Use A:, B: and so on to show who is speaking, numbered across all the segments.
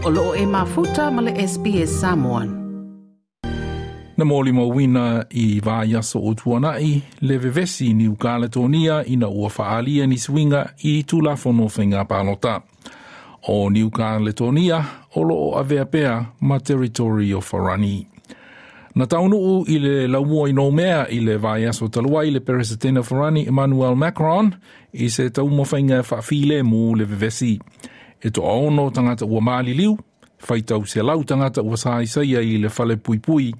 A: O loo e mafuta ma le SBS Samoan.
B: Na molimauina i vaiaso ua tuanai le vevesi i Niu Kaletonia ina ua faaalia ni suiga i Tulafono Faiga Palota. O Niu Kaletonia o lo o avea pea ma Territory o Farani. Na taunuu i le laumua i Noumea i le vaiaso talu ai le Peresetene o Farani Emmanuel Macron i se taumafaiga e faafilemu le vevesi. E toaono tagata ua maliliu, faitau selau tagata ua saisaia i le fale puipui,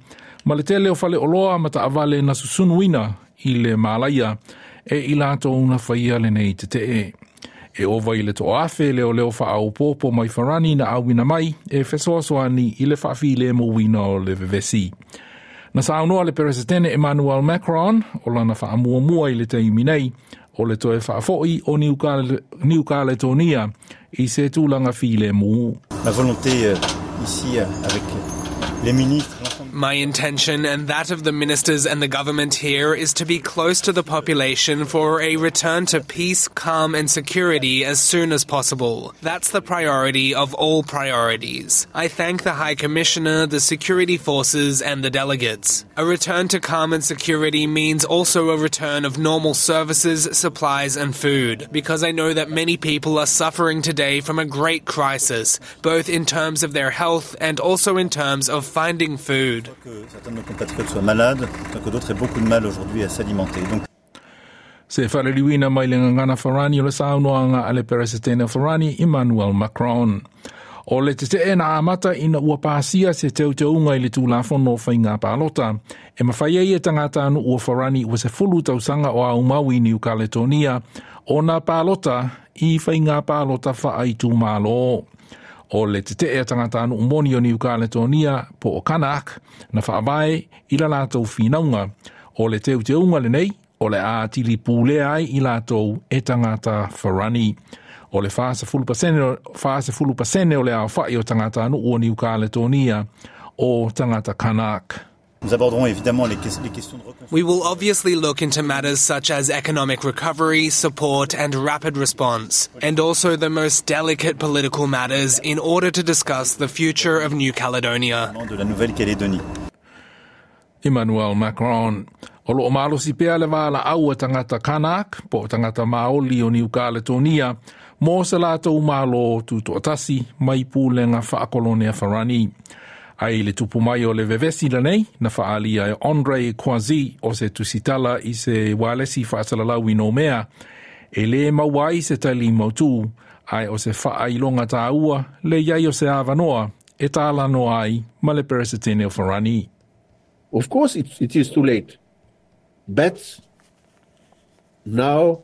B: ma le tele o fale oloa ma taavale na susunuina i le malaia e i latou na faia lenei tetee. E ova i le 1000 leoleo faaopoopo mai Farani na auina mai e fesoasoani i le faafilemuina o le vevesi. Na saunoa le Peresetene Emmanuel Macron o lana faamuamua i le taimi nei o le toe faafoi o Niu Kaletonia i se tulaga filemu.
C: Ma volonté euh, ici euh, avec les ministres
D: My intention and that of the ministers and the government here is to be close to the population for a return to peace, calm and security as soon as possible. That's the priority of all priorities. I thank the High Commissioner, the security forces and the delegates. A return to calm and security means also a return of normal services, supplies and food, because I know that many people are suffering today from a great crisis, both in terms of their health and also in terms of finding food.
B: Se faaliliuina mai le gagana Farani o le saunoaga a le Peresetene o Farani Emmanuel Macron. O le tetee na amata ina ua pasia se teuteuga i le Tulafono o Faiga Palota, e mafai ai e tagatanuu o Farani ua 10 tausaga o aumau i Niu Kaletonia ona palota i faiga palota faaitumalo. O le tetee a tagatanuu moni o Niu Kaletonia po o Kanak na faavae i la latou finauga. O le teuteuga lenei o le a atili pulea ai i latou e tagata Farani. O le 40% o le aofai o tagatanuu o Niu Kaletonia o tagata Kanak.
C: Nous aborderons évidemment les, les questions de reconstruction.
D: We will obviously look into matters such as economic recovery, support and rapid response, and also the most delicate political matters in order to discuss the future of New Caledonia.
C: De la Nouvelle-Calédonie.
B: Emmanuel Macron. O loo malosi pea le valaau a tagata Kanak po o tagata Maoli o Niu Kaletonia mo se latou Malo tutoatasi mai pulega faakolone a Farani. Ai le tupu mai o le vevesi lenei, na faaalia e Andre Choisy o se tusitala i se ualesi faasalalau i Noumea, e lē maua ai se tali mautū, ae o se faailoga tāua le i ai o se avanoa e talanoa ai ma le Peresetene o Farani.
E: Of course it, it is too late. But now,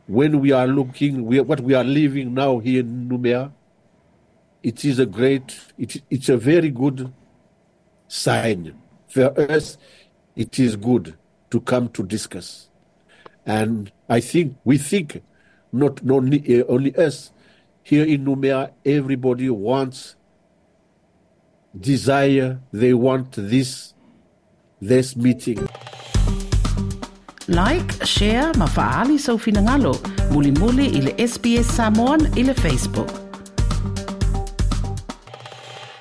E: when we are looking, we, what we are living now here in Nouméa, it is a great, it, it's a very good sign. For us, it is good to come to discuss. And I think, we think, not only, eh, only us, here in Nouméa, everybody wants, desire, they want this, this meeting.
A: Like, share ma faaali sou finagalo. Mulimuli i le SBS Samoan i le Facebook.